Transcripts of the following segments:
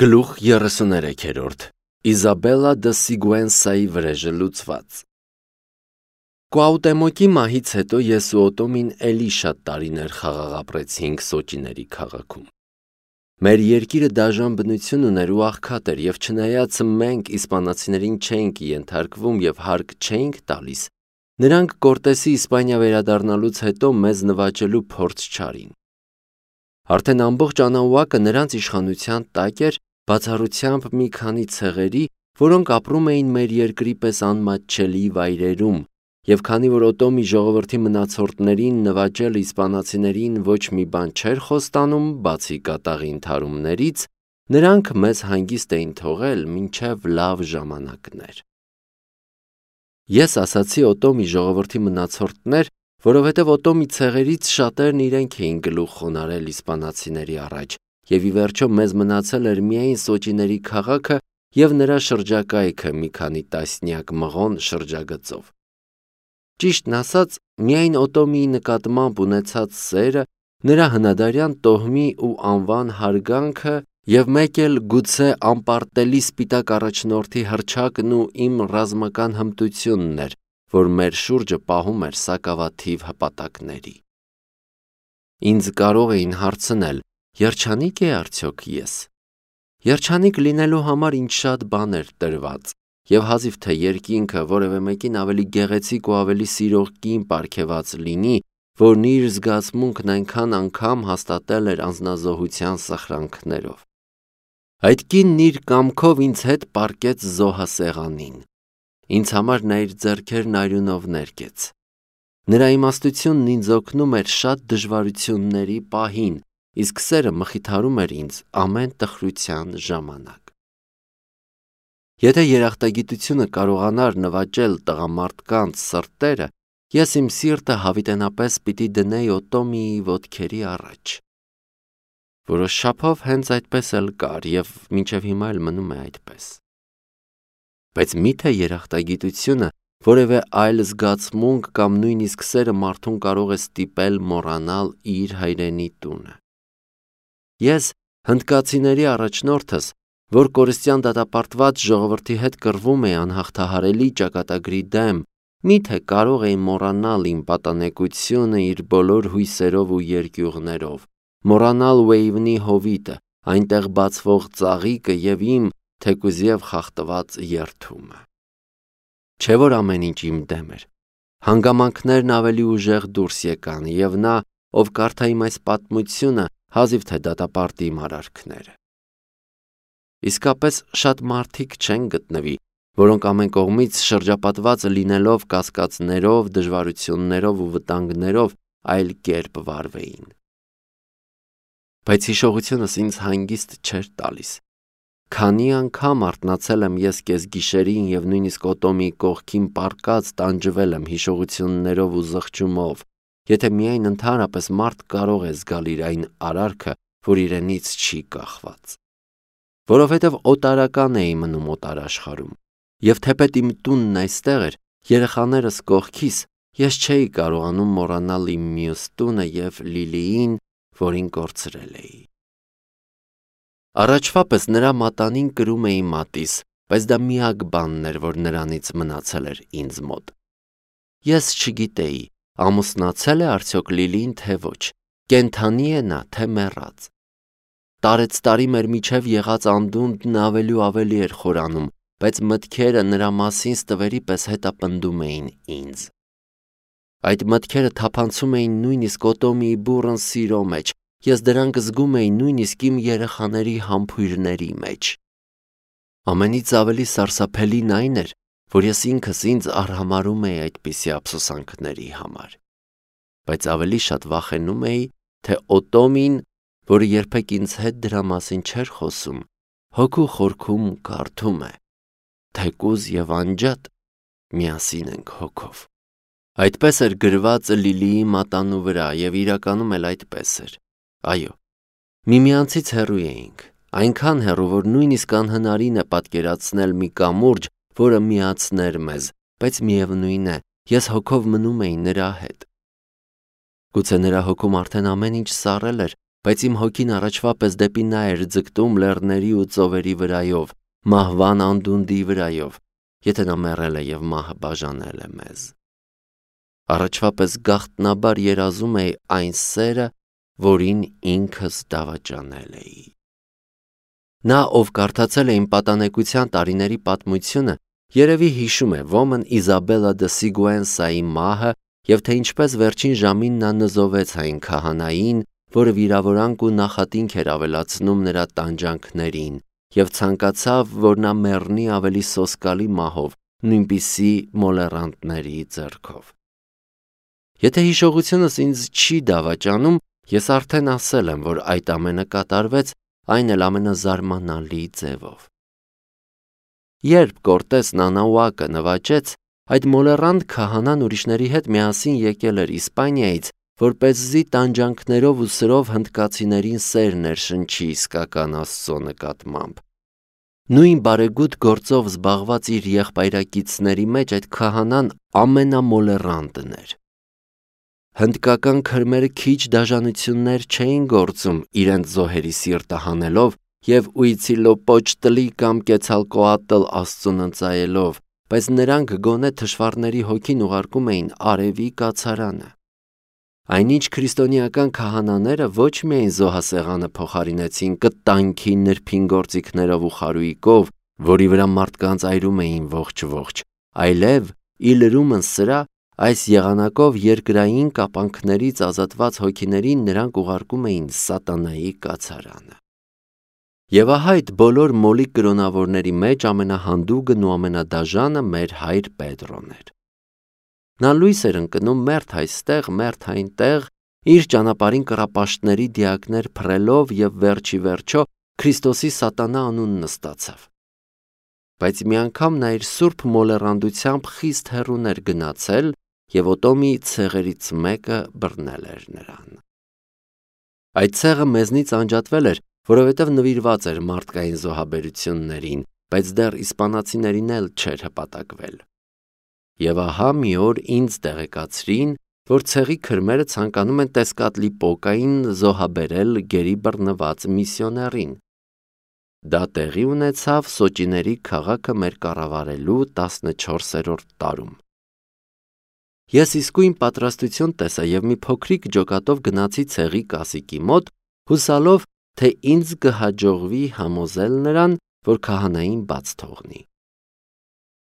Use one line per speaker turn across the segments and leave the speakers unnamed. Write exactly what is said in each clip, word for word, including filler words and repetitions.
Գլուխ երեսուներեքերորդ Իզաբելլա դը Սիգուենսայի վրեժը լուծված Կուաուտեմոկի մահից հետո ես ու Օտոմին էլի շատ տարիներ խաղաղ ապրեցինք Սոճիների քաղաքում։ Մեր երկիրը դաժան բնություն ուներ ու աղքատ էր, եւ չնայած մենք իսպանացիներին չէինք ենթարկվում եւ հարկ չէինք տալիս, նրանք Կորտեսի Իսպանիա վերադառնալուց հետո մեզ նվաճելու փորձ չարին։ Արդեն ամբողջ Անաուակը նրանց իշխանության տակ էր, բացառությամբ մի քանի ցեղերի, որոնք ապրում էին մեր երկրի պես անմատչելի վայրերում, եւ քանի որ Օտոմի ժողովրդի մնացորդներին նվաճել իսպանացիներին ոչ մի բան չէր խոստանում, բացի կատաղի ընդհարումներից, նրանք մեզ հանգիստ էին թողել մինչև լավ ժամանակներ։ Ես ասացի Օտոմի ժողովրդի մնացորդներ, որովհետև Օտոմի ցեղերից շատերն իրենք էին գլուխ խոնարհել իսպանացիների առաջ, եւ ի վերջո մեզ մնացել էր միայն Սոճիների քաղաքը եւ նրա շրջակայքը մի քանի տասնյակ մղոն շրջագծով։ Ճիշտն ասած, միայն Օտոմիի նկատմամբ ունեցած սերը, նրա հնադարյան տոհմի ու անվան հարգանքը եւ մեկ էլ գուցե անպարտելի սպիտակ առաջնորդի հռչակն ու իմ ռազմական հմտությունն էր, որ մեր շուրջը պահում էր սակավաթիվ հպատակների։ Ինձ կարող էին հարցնել. Երջանիկ է արդյոք ես։ Երջանիկ լինելու համար ինձ շատ բան էր տրված, եւ հազիվ թե երկինքը որևէ մեկին ավելի գեղեցիկ ու ավելի սիրող կին պարգեւած լինի, որն իր զգացմունքն այնքան անգամ հաստատել էր անձնազոհության սխրանքներով։ Այդ կինն իր կամքով ինձ հետ պառկեց զոհասեղանին։ Ինձ համար նա իր ձեռքերն արյունով ներկեց։ Նրա իմաստությունն ինձ օգնում էր շատ դժվարությունների պահին, իսկ սերը մխիթարում էր ինձ ամեն տխրության ժամանակ։ Եթե երախտագիտությունը կարողանար նվաճել տղամարդկանց սրտերը, ես իմ սիրտը հավիտենապես պիտի դնեի Օտոմիի ոտքերի առաջ։ Որոշ չափով հենց այդպես էլ կար եւ մինչեւ հիմա էլ մնում է այդպես։ Բայց միթե երախտագիտությունը, որևէ այլ զգացմունք կամ նույնիսկ սերը մարդուն կարող է ստիպել մոռանալ իր հայրենի տունը։ Ես հնդկացիների առաջնորդս, որ կորստյան դատապարտված ժողովրդի հետ կռվում է անհաղթահարելի ճակատագրի դեմ, միթե կարող էի մոռանալ իմ պատանեկությունը իր բոլոր հույսերով ու երկյուղներով, մոռանալ Ուեյվնի հովիտը, այնտեղ բացվող ծաղիկը եւ իմ թեկուզիև խախտված երդումը։ Չէ որ ամեն ինչ իմ դեմ էր։ Հանգամանքներն ավելի ուժեղ դուրս եկան եւ նա, ով կարդա իմ այս պատմությունը, հազիվ թե դատապարտի իմ արարքները։ Իսկապես շատ մարդիկ չեն գտնվի, որոնք ամեն կողմից շրջապատված լինելով կասկածներով, դժվարություններով ու վտանգներով այլ կերպ վարվեին։ Բայց հիշողությունս ինձ հանգիստ չէր տալիս։ Քանի անգամ արթնացել եմ ես կեսգիշերին եւ նույնիսկ Օտոմի կողքին պառկած տանջվել եմ հիշողություններով ու զղջումով, եթե միայն ընդհանրապես մարդ կարող է զգալ իր այն արարքը, որ իրենից չի կախված։ Որովհետև օտարական էի մնում օտարաշխարհում, եւ թեպետ իմ տունն այստեղ էր, երեխաներս կողքիս, ես չէի կարողանում մոռանալ իմ մյուս տունը եւ Լիլիին, որին կորցրել էի։ Առաջվա պես նրա մատանին կրում էի մատիս, բայց դա միակ բանն էր, որ նրանից մնացել էր ինձ մոտ։ Ես չգիտեի, ամուսնացել է արդյոք Լիլին, թե ոչ, կենդանի է նա, թե մեռած։ Տարեց տարի մեր միջև եղած անդունդն ավելի ու ավելի էր խորանում, բայց մտքերը նրա մասին ստվերի պես հետապնդում էին ինձ։ Այդ մտքերը թափանցում էին նույնիսկ Օտոմիի բուռն սիրո մեջ, ես դրանք զգում էի նույնիսկ իմ երեխաների համբույրների մեջ։ Ամենից ավելի սարսափելին այն էր, որ ես ինքս ինձ արհամարհում էի այդպիսի ափսոսանքների համար։ Բայց ավելի շատ վախենում էի, թե Օտոմին, որը երբեք ինձ հետ դրա մասին չէր խոսում, հոգու խորքում կարդում է. թեկուզ եւ անջատ միասին ենք հոգով։ Այդպես էր գրված Լիլիի մատանու վրա եւ իրականում էլ այդպես էր։ Այո, միմյանցից հեռու էինք, այնքան հեռու, որ նույնիսկ անհնարին է պատկերացնել մի կամուրջ, որը միացներ մեզ, բայց միևնույն է, ես հոգով մնում էի նրա հետ։ Գուցե նրա հոգում արդեն ամեն ինչ սառել էր, բայց իմ հոգին առաջվա պես դեպի նա էր ձգտում լեռների ու ծովերի վրայով, մահվան անդունդի վրայով, եթե նա մեռել է և մահը բաժանել է մեզ։ Առաջվա պես գաղտնաբար երազում էի այն սերը, որին ինքս դավաճանել էի։ Նա, ով կարդացել է իմ պատանեկության տարիների պատմությունը, երևի հիշում է ոմն Իզաբելա դը Սիգուենսայի մահը և թե ինչպես վերջին ժամին նա նզովեց այն քահանային, որը վիրավորանք ու նախատինք էր ավելացնում նրա տանջանքներին և ցանկացավ, որ նա մեռնի ավելի սոսկալի մահով, նույնպիսի մոլեռանդների ձեռքով։ Եթե հիշողությունս ինձ չի դավաճանում, ես արդեն ասել եմ, որ այդ ամենը կատարվեց, այն էլ ամենազարմանալի ձևով։ Երբ Կորտեսն Անաուակը նվաճեց, այդ մոլեռանդ քահանան ուրիշների հետ միասին եկել էր Իսպանիայից, որպեսզի տանջանքներով ու սրով հնդկացիներին սեր ներշնչի իսկական Աստծո նկատմամբ։ Նույն բարեգութ գործով զբաղված իր եղբայրակիցների մեջ այդ քահանան ամենամոլեռանդն էր։ Հնդկական քրմերը քիչ դաժանություններ չէին գործում իրենց զոհերի սիրտը հանելով և Ուիցիլոպոչտլի կամ Կեցալկոատլ Աստծուն ընծայելով, բայց նրանք գոնե թշվառների հոգին ուղարկում էին արևի կացարանը։ Այնինչ քրիստոնեական քահանաները ոչ միայն զոհասեղանը փոխարինեցին կտանքի նրբին գործիքներով ու խարույկով, որի վրա մարդկանց այրում էին ողջ-ողջ, այլև ի լրումն սրա, այս եղանակով երկրային կապանքներից ազատված հոգիներին նրանք ուղարկում էին սատանայի կացարանը։ Եվ ահա այդ բոլոր մոլիկ կրոնավորների մեջ ամենահանդուգն ու ամենադաժանը մեր հայր Պետրոն էր։ Նա լույս էր ընկնում մերթ այստեղ, մերթ այնտեղ, իր ճանապարհին կռապաշտների դիակներ փռելով և վերջի վերջո Քրիստոսի սատանա անունն ստացավ։ Բայց մի անգամ նա իր սուրբ մոլեռանդությամբ խիստ հեռուն էր գնացել և Օտոմի ցեղերից մեկը բռնել էր նրան։ Այդ ցեղը մեզնից անջատվել էր, որովհետև նվիրված էր մարդկային զոհաբերություններին, բայց դեռ իսպանացիներին էլ չէր հպատակվել։ Եվ ահա մի օր ինձ տեղեկացրին, որ ցեղի քրմերը ցանկանում են Տեսկատլիպոկային զոհաբերել գերի բռնված միսիոներին։ Դա տեղի ունեցավ Սոճիների քաղաքը մեր կառավարելու տասնչորսերորդ տարում։ Ես իսկույն պատրաստություն տեսա և մի փոքրիկ ջոկատով գնացի ցեղի կասիկի մոտ, հուսալով, թե ինձ կհաջողվի համոզել նրան, որ քահանային բաց թողնի։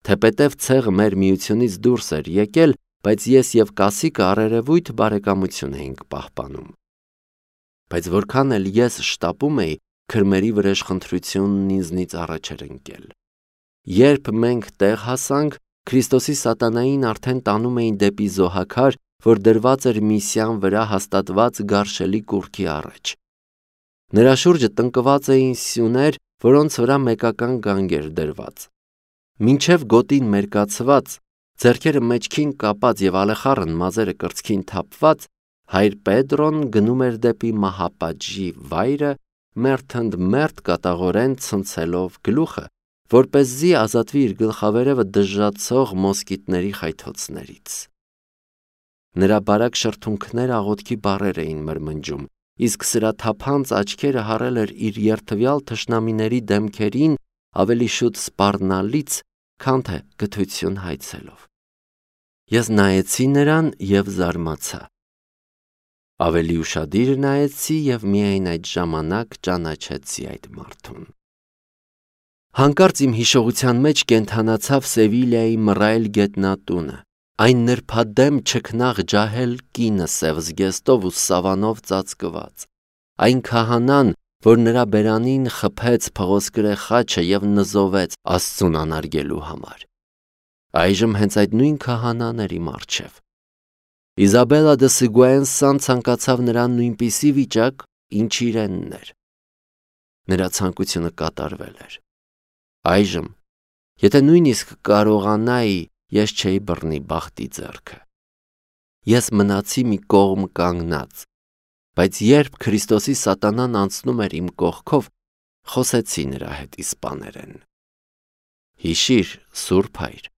Թեպետև ցեղը մեր միությունից դուրս էր եկել, բայց ես և կասիկը առերևույթ բարեկամություն էինք պահպանում։ Բայց որքան էլ ես շտապում էի, քրմերի վրեժխնդրությունն ինձնից առաջ էր ընկել։ Երբ մենք տեղ հասանք, Քրիստոսի սատանային արդեն տանում էին դեպի զոհաքար, որ դրված էր Միսյան վրա հաստատված գարշելի կուռքի առաջ։ Նրա շուրջը տնկված էին սյուներ, որոնց վրա մեկական գանգ էր դրված։ Մինչև գոտին մերկացված, ձեռքերը մեջքին կապած և ալեխառն մազերը կրծքին թափված, հայր Պետրոն գնում էր դեպի մահապատժի վայրը, մերթընդմերթ կատաղորեն ցնցելով գլուխը, որպեսզի ազատվի իր գլխավերևը դժժացող մոսկիտների խայթոցներից։ Նրա բարակ շրթունքները աղոթքի բառեր էին մրմնջում, իսկ սրա թափանց աչքերը հառել էր իր երդվյալ թշնամիների դեմքերին ավելի շուտ սպառնալից, քան թե գթություն հայցելով։ Ես նայեցի նրան և զարմացա։ Ավելի ուշադիր նայեցի և միայն այդ ժամանակ ճանաչեցի այդ մարդուն։ Հանկարծ իմ հիշողության մեջ կենդանացավ Սևիլիայի մռայլ գետնատունը, այն նրբադեմ չքնաղ ջահել կինը սև զգեստով ու սավանով ծածկված, այն քահանան, որ նրա բերանին խփեց փղոսկրե խաչը և նզովեց Աստծուն անարգելու համար։ Այժմ հենց այդ նույն քահանան էր իմ առջև։ Իզաբելա դը Սիգուենսան ցանկացավ նրան նույնպիսի վիճակ, ինչ իրենն էր։ Նրա ցանկությունը կատարվել էր։ Այժմ, եթե նույնիսկ կարողանայի, ես չէի բռնի բախտի ձեռքը։ Ես մնացի մի կողմ կանգնած, բայց երբ Քրիստոսի սատանան անցնում էր իմ կողքով, խոսեցի նրա հետ իսպաներեն։ Հիշիր, Սուրբ Հայր,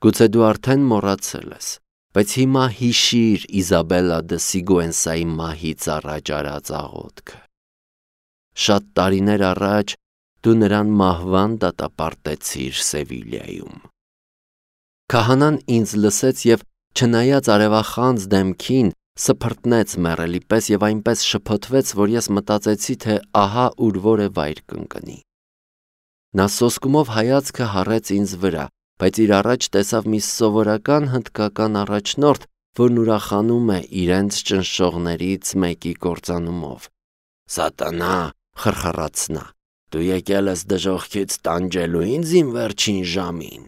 գուցե դու արդեն մոռացել ես, բայց հիմա հիշիր Իզաբելլա դե Սիգուենսայի մահից առաջ արած աղոթքը։ Շատ տարիներ առաջ դու նրան մահվան դատապարտեցիր Սևիլիայում։ Քահանան ինձ լսեց և չնայած արևախանձ դեմքին սփռտնեց մեռելի պես և այնպես շփոթվեց, որ ես մտածեցի, թե ահա ուր որ է վայր կընկնի։ Նա սոսկումով հայացքը հառեց ինձ վրա, բայց իր առաջ տեսավ մի սովորական հնդկական առաջնորդ, որն ուրախանում է իրենց ճնշողներից մեկի կործանումով։ «Սատանա», խրխռաց նա, «դու եկել ես դժոխքից տանջելու ինձ իմ վերջին ժամին»։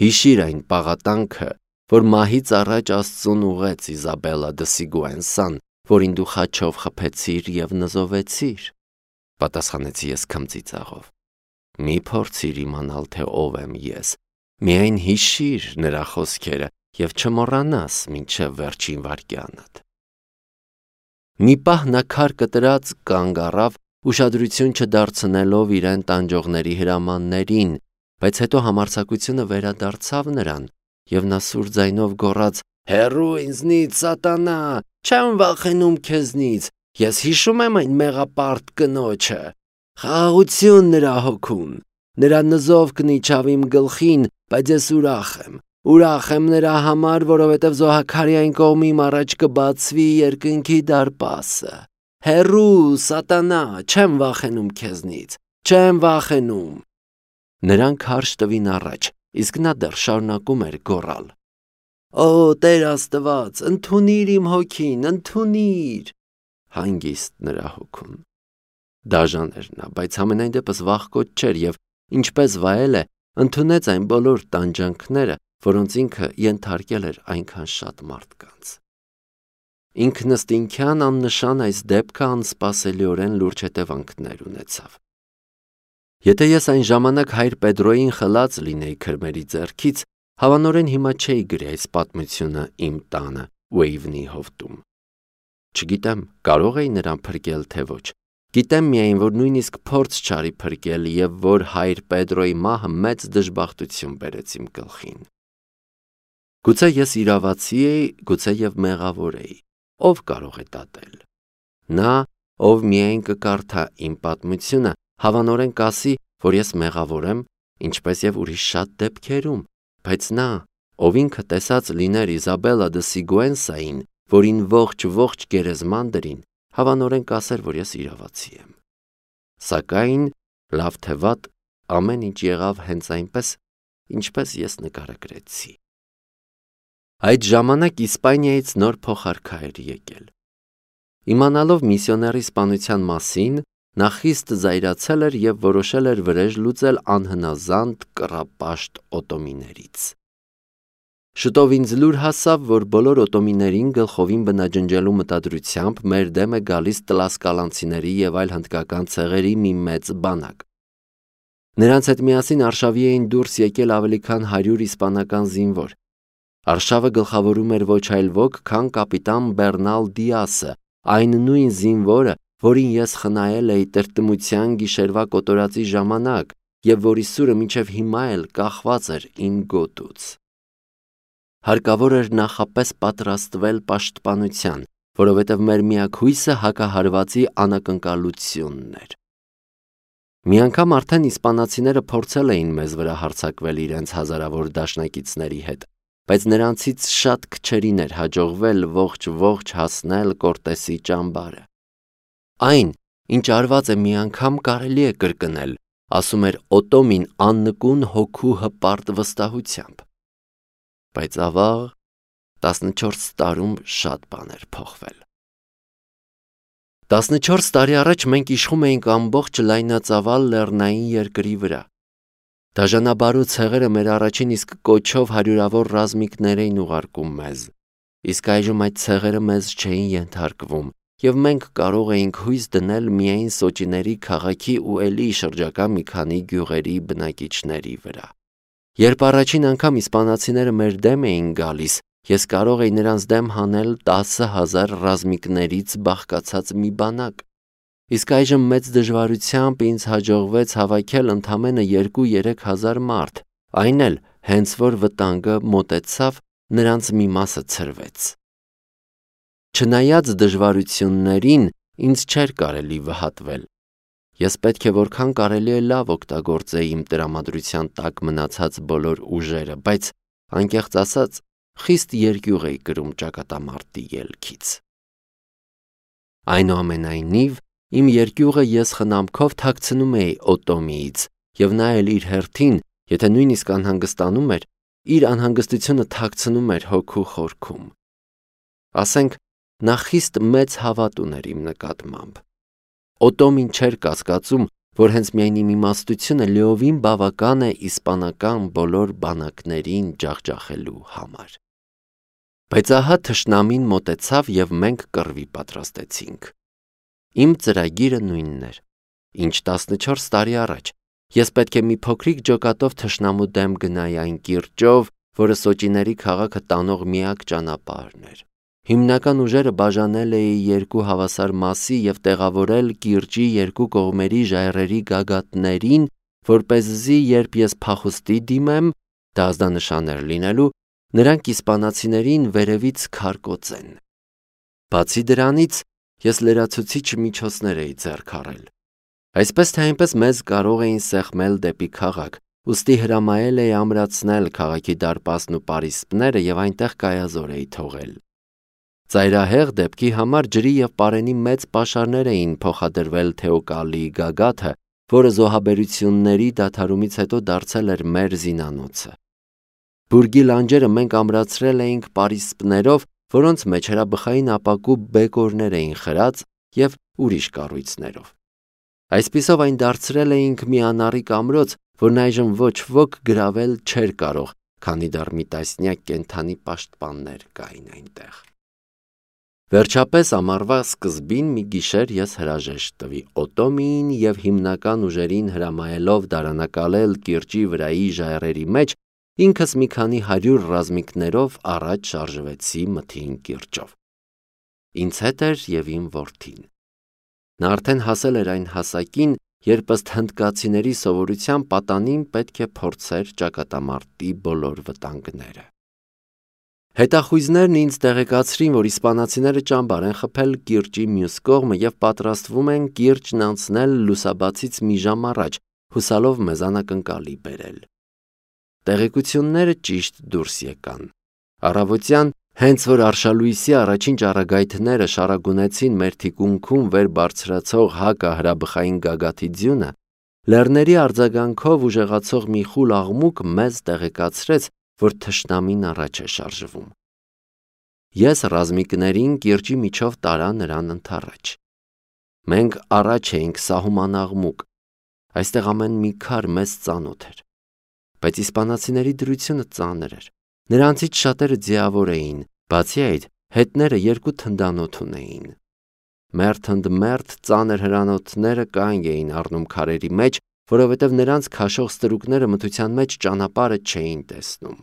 Հիշիր այն պաղատանքը, որ մահից առաջ Աստծուն ուղեց Իզաբելլա դե Սիգուենսան, որին դու խաչով խփեցիր և նզովեցիր, պատասխանեցի ես քմծի ծաղով։ Մի փորձիր իմանալ, թե ով եմ ես, միայն հիշիր նրա խոսքերը և չմոռանաս մինչև վերջին վայրկյանդ։ Մի պահ նա քար կտրած կանգ առավ, ուշադրություն չդարձնելով իրեն տանջողների հրամաններին, բայց հետո համարձակությունը վերադարձավ նրան, և նա սուր ձայնով գոռաց. «Հեռու ինձնից, Սատանա, չեմ վախենում քեզնից, ես հիշում եմ այն մեղապարտ կնոջը, խաղաղություն նրա հոգուն, նրա նզովքն իջավ իմ գլխին, բայց ես ուրախ եմ, ուրախ եմ նրա համար, որովհետև Զոհաքարյային կողմիմ առաջ կբացվի երկնքի դարպասը, հեռու, Սատանա, չեմ վախենում քեզնից, չեմ վախենում»։ Նրան քարշ տվին առաջ, իսկ նա դեռ շարունակում էր գոռալ. «Օ, Տեր Աստված, ընդունիր իմ հոգին, ընդունիր»։ Հանգիստ նրա հոգուն։ Դաժան էր նա, բայց համենայն դեպս վախկոտ չէր և, ինչպես վայել է, ընդունեց այն բոլոր տանջանքները, որոնց ինքը ենթարկել էր այնքան շատ մարդկանց։ Ինքնըստինքյան աննշան այս դեպքը անսպասելիորեն լուրջ հետևանքներ ունեցավ։ Եթե ես այն ժամանակ հայր Պետրոյին խլած լինեի քրմերի ձեռքից, հավանորեն հիմա չէի գրի այս պատմությունը իմ տանը Ուեյվնի հովտում։ Չգիտեմ, կարող էի նրան փրկել, թե ոչ։ Գիտեմ միայն, որ նույնիսկ փորձ չարի փրկել և որ հայր Պետրոյի մահը մեծ դժբախտություն բերեց իմ գլխին։ Գուցե ես իրավացի էի, գուցե և մեղավոր էի։ Ով կարող է դատել։ Նա, ով միայն կկարդա իմ պատմությունը, հավանորեն կասի, որ ես մեղավոր եմ, ինչպես և ուրիշ շատ դեպքերում, բայց նա, ով ինքը տեսած լիներ Իզաբելլա դե Սիգուենսային, որին ողջ-ողջ գերեզման դրին, հավանորեն կասեր, որ ես իրավացի եմ։ Սակայն, լավ թե վատ, ամեն ինչ եղավ հենց այնպես, ինչպես ես նկարագրեցի։ Այդ ժամանակ Իսպանիայից նոր փոխարքա էր եկել։ Իմանալով միսիոների սպանության մասին, նա խիստ զայրացել էր և որոշել էր վրեժ լուծել անհնազանդ կռապաշտ օտոմիներից։ Շուտով ինձ լուր հասավ, որ բոլոր օտոմիներին գլխովին բնաջնջելու մտադրությամբ մեր դեմ է գալիս տլասկալանցիների և այլ հնդկական ցեղերի մի մեծ բանակ։ Նրանց հետ միասին արշավի էին դուրս եկել ավելի քան հարյուր իսպանական զինվոր։ Արշավը գլխավորում էր ոչ այլ ոք, քան կապիտան Բեռնալ Դիասը, այն նույն զինվորը, որին ես խնայել էի տրտմության գիշերվա կոտորածի ժամանակ և որի սուրը մինչև հիմա էլ կախված էր իմ գոտուց։ Հարկավոր էր նախապես պատրաստվել պաշտպանության, որովհետև մեր միակ հույսը հակահարվածի անակնկալությունն էր։ Մի անգամ արդեն իսպանացիները փորձել էին մեզ վրա հարձակվել իրենց հազարավոր դաշնակիցների հետ, բայց նրանցից շատ քչերին էր հաջողվել ողջ-ողջ հասնել Կորտեսի ճամբարը։ Այն, ինչ արված է մի անգամ կարելի է կրկնել, ասում էր Օտոմին աննկուն հոգու հպարտ վստահությամբ։ Բայց ավաղ, տասնչորս տարում շատ բան էր փոխվել։ Տասնչորս տարի առաջ մենք իշխում էինք ամբողջ լայնածավալ լեռնային երկրի վրա։ Դաժանաբարու ցեղերը մեր առաջին իսկ կոչով հարյուրավոր ռազմիկներ էին ուղարկում մեզ, իսկ այժմ այդ ցեղերը մեզ չէին ենթարկվում, և մենք կարող էինք հույս դնել միայն Սոճիների քաղաքի ու էլի շրջակա մի քանի գյուղերի բնակիչների վրա։ Երբ առաջին անգամ իսպանացիները մեր դեմ էին գալիս, ես կարող էի նրանց դեմ հանել տասը հազար ռազմիկներից բաղկացած մի բանակ, իսկ այժմ մեծ դժվարությամբ ինձ հաջողվեց հավաքել ընդամենը երկու-երեք հազար մարդ, այն էլ հենց որ վտանգը մոտեցավ, նրանց մի մասը ցրվեց։ Չնայած դժվարություններին, ինձ չէր կարելի վհատվել։ Ես պետք է որքան կարելի է լավ օգտագործեի իմ տրամադրության տակ մնացած բոլոր ուժերը, բայց անկեղծ ասած, խիստ երկյուղ էի կրում ճակատամարտի ելքից։ Այնուամենայնիվ, իմ երկյուղը ես խնամքով թաքցնում էի Օտոմիից, և նա էլ իր հերթին, եթե նույնիսկ անհանգստանում էր, իր անհանգստությունը թաքցնում էր հոգու խորքում։ Ասենք, նա խիստ մեծ հավատ ուներ իմ նկատմամբ։ Օտոմին չէր կասկածում, որ հենց միայն իմ իմաստությունը լիովին բավական է իսպանական բոլոր բանակներին ջախջախելու համար։ Բայց ահա թշնամին մոտեցավ և մենք կռվի պատրաստեցինք։ Իմ ծրագիրը նույնն էր, ինչ տասնչորս տարի առաջ։ Ես պետք է մի փոքրիկ ջոկատով թշնամու դեմ գնայի այն կիրճով, որը Սոճիների քաղաքը տանող միակ ճանապարհն էր։ Հիմնական ուժերը բաժանել էի երկու հավասար մասի և տեղավորել կիրճի երկու կողմերի ժայռերի գագաթներին, որպեսզի երբ ես փախուստի դիմեմ, դա ազդանշան էր լինելու, նրանք իսպանացիներին վերևից քարկոծեն։ Բացի դրանից, ես լրացուցիչ միջոցներ էի ձեռք առել։ Այսպես թե այնպես մեզ կարող էին սեղմել դեպի քաղաք, ուստի հրամայել էի ամրացնել քաղաքի դարպասն ու պարիսպները և այնտեղ կայազոր էի թողել։ Ծայրահեղ դեպքի համար ջրի և պարենի մեծ պաշարներ էին փոխադրվել Թեոկալիի գագաթը, որը զոհաբերությունների դադարումից հետո դարձել էր մեր զինանոցը։ Բուրգի լանջերը մենք ամրացրել էինք պարիսպներով, որոնց մեջ հրաբխային ապակու բեկորներ էին խրած և ուրիշ կառույցներով։ Այսպիսով այն դարձրել էինք մի անառիկ ամրոց, որն այժմ ոչ ոք գրավել չէր կարող, քանի դեռ մի տասնյակ կենդանի պաշտպաններ կային այնտեղ։ Վերջապես ամառվա սկզբին մի գիշեր ես հրաժեշտ տվի Օտոմիին և հիմնական ուժերին հրամայելով դարանակալել կիրճի վրայի ժայռերի մեջ, ինքս մի քանի հարյուր ռազմիկներով առաջ շարժվեցի մթին կիրճով։ Ինձ հետ էր և իմ որդին։ Նա արդեն հասել էր այն հասակին, երբ ըստ հնդկացիների սովորության պատանին պետք է փորձեր ճակատամարտի բոլոր վտանգները։ Հետախույզներն ինձ տեղեկացրին, որ իսպանացիները ճամբար են խփել կիրճի մյուս կողմը և պատրաստվում են կիրճն անցնել լուսաբացից մի ժամ առաջ, հուսալով մեզ անակնկալի բերել։ Տեղեկությունները ճիշտ դուրս եկան։ Առավոտյան, հենց որ արշալույսի առաջին ճառագայթները շարագունեցին մեր թիկունքում վեր բարձրացող հակահրաբխային գագաթի ձյունը, լեռների արձագանքով ուժեղացող մի խուլ աղմուկ մեզ տեղեկացրեց, որ թշնամին առաջ է շարժվում։ Ես ռազմիկներին կիրճի միջով տարա նրան ընդառաջ։ Մենք առաջ էինք սահման աղմուկ, այստեղ ամեն մի քար մեզ ծանոթ էր։ Բայց իսպանացիների դրությունը ծանր էր, նրանցից շատերը ձիավոր էին, բացի այդ, հետները երկու թնդանոթ ունեին։ Մերթ ընդ մերթ ծանր հրանոթները կանգ էին առնում քարերի մեջ, որովհետև նրանց քաշող ստրուկները մթության մեջ ճանապարհը չէին տեսնում։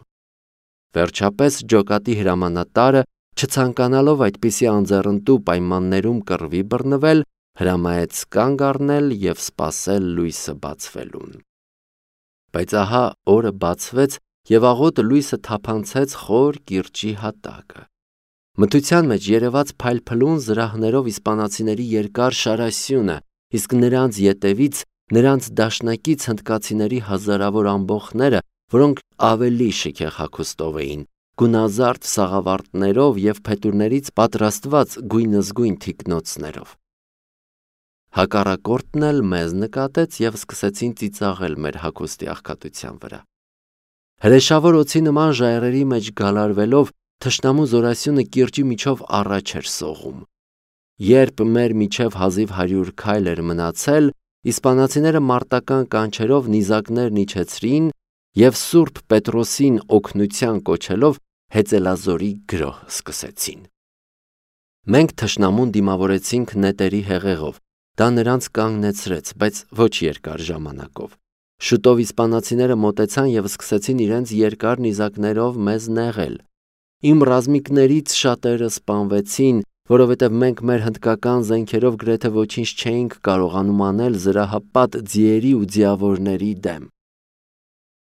Վերջապես ջոկատի հրամանատարը, չցանկանալով այդպիսի անձեռնտու պայմաններում կռվի բռնվել, հրամայեց կանգ առնել և սպասել լույսը բացվելուն։ Բայց ահա օրը բացվեց և աղոտ լույսը թափանցեց խոր կիրճի հատակը։ Մթության մեջ երևաց փայլփլուն զրահներով իսպանացիների երկար շարասյունը, իսկ նրանց ետևից նրանց դաշնակից հնդկացիների հազարավոր ամբոխները, որոնք ավելի շքեղ հագուստով էին, գունազարդ սաղավարտներով և փետուրներից պատրաստված գույնզգույն թիկնոցներով։ Հակառակորդն էլ մեզ նկատեց և սկսեցին ծիծաղել մեր հագուստի աղքատության վրա։ Հրեշավոր օձի նման ժայռերի մեջ գալարվելով, թշնամու զորասյունը կիրճի միջով առաջ էր սողում։ Երբ մեր միջև հազիվ հարյուր քայլ էր մնացել, իսպանացիները մարտական կանչերով նիզակներն իջեցրին և Սուրբ Պետրոսին օգնության կոչելով հեծելազորի գրոհ սկսեցին։ Մենք թշնամուն դիմավորեցինք նետերի հեղեղով, դա նրանց կանգնեցրեց, բայց ոչ երկար ժամանակով։ Շուտով իսպանացիները մոտեցան և սկսեցին իրենց երկար նիզակներով մեզ նեղել։ Իմ ռազմիկներից շատերը սպանվեցին, որովհետև մենք մեր հնդկական զենքերով գրեթե ոչինչ չէինք կարողանում անել զրահապատ ձիերի ու ձիավորների դեմ։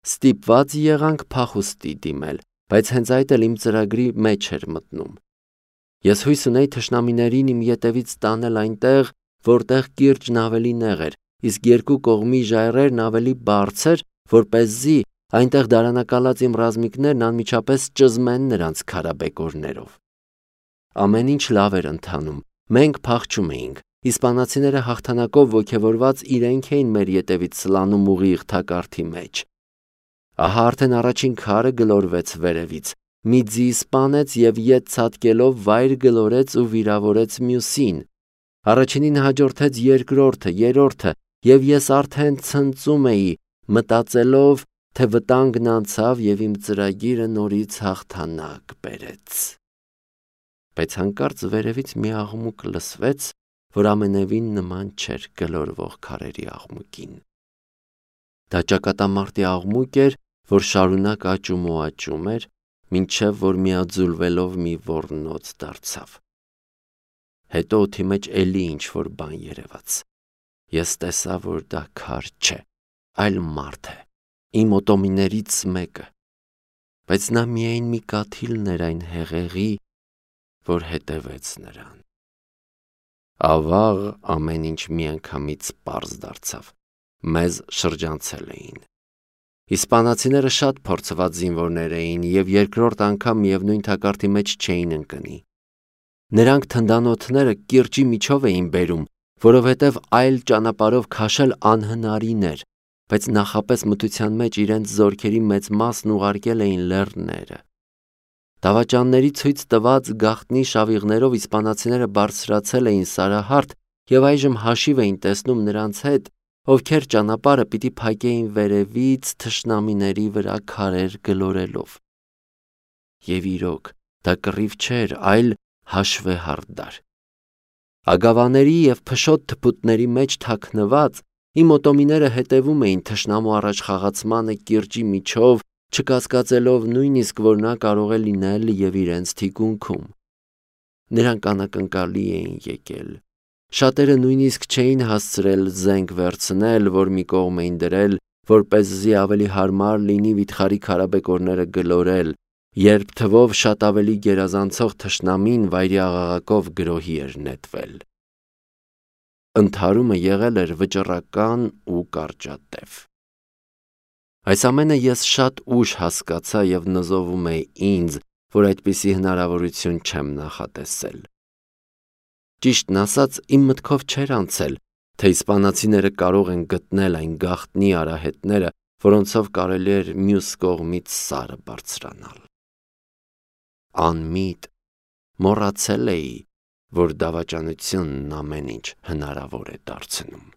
Ստիպված եղանք փախուստի դիմել, բայց հենց այդ էլ իմ ծրագրի մեջ էր մտնում։ Ես հույս ունեի թշնամիներին իմ ետևից տանել այնտեղ, որտեղ կիրճն ավելի նեղ էր, իսկ երկու կողմի ժայռերն ավելի բարձր, որպեսզի այնտեղ դարանակալած իմ ռազմիկներն անմիջապես ճզմեն նրանց քարաբեկորներով։ Ամեն ինչ լավ էր ընթանում, մենք փախչում էինք, իսպանացիները հաղթանակով ոգևորված իրենք էին մեր ետևից սլանում ուղիղ թակարդի մեջ։ Ահա արդեն առաջին քարը գլորվեց վերևից, մի ձի սպանեց և ետ ցատկելով վայր գլորեց ու վիրավորեց մյուսին։ Առաջինին հաջորդեց երկրորդը, երրորդը, և ես արդեն ցնծում էի, մտածելով, թե վտանգն անցավ և իմ ծրագիրը նորից հաղթանակ բերեց։ Բայց հանկարծ վերևից մի աղմուկ լսվեց, որ ամենևին նման չէր գլորվող քարերի աղմուկին։ Դա ճակատամարտի աղմուկ էր, որ շարունակ աճում ու աճում էր, մինչև որ միաձուլվելով մի ոռնոց դարձավ։ Հետո օդի մեջ էլի ինչ-որ բան երևաց։ Ես տեսա, որ դա քար չէ, այլ մարդ է, իմ օտոմիներից մեկը, բայց նա միայն մի կաթիլն էր այն հեղեղի, որ հետևեց նրան։ Ավաղ ամեն ինչ միանգամից պարզ դարձավ։ Մեզ շրջանցել էին։ Իսպանացիները շատ փորձված զինվորներ էին և երկրորդ անգամ միևնույն թակարդի մեջ չէին ընկնի։ Նրանք թնդանոթները կիրճի միջով էին բերում, որովհետև այլ ճանապարհով քաշել անհնարին էր, բայց նախապես մթության մեջ իրենց զորքերի մեծ մասն ուղարկել էին լեռները։ Դավաճանների ցույց տված գաղտնի շավիղներով իսպանացիները բարձրացել էին Սարահարթ և այժմ հաշիվ էին տեսնում նրանց հետ, ովքեր ճանապարհը պիտի փակեին վերևից թշնամիների վրա քարեր գլորելով։ Եվ իրոք, դա կռիվ չէր, այլ հաշվեհարդար։ Ագավաների և փշոտ թփուտների մեջ թաքնված իմ օտոմիները հետևում էին թշնամու առաջխաղացմանը կիրճի միջով, չկասկածելով նույնիսկ, որ նա կարող է լինել և իրենց թիկունքում։ Նրանք անակնկալի էին եկել։ Շատերը նույնիսկ չէին հասցրել զենք վերցնել, որ մի կողմ էին դրել, որպեսզի ավելի հարմար լինի վիթխարի քարաբեկորները գլորել, երբ թվով շատ ավելի գերազանցող թշնամին վայրիաղաղակով գրոհի էր նետվել։ Ընդհարումը եղել էր վճռական ու կարճատև։ Այս ամենը ես շատ ուշ հասկացա և նզովում է ինձ, որ այդպիսի հնարավորություն չեմ նախատեսել։ Ճիշտն ասած, իմ մտքով չէր անցել, թե իսպանացիները կարող են գտնել այն գաղտնի արահետները, որոնցով կարելի էր մյուս կողմից Սարը բարձրանալ։ Անմիտ մոռացել էի, որ դավաճանությունն ամեն ինչ հնարավոր է դարձնում։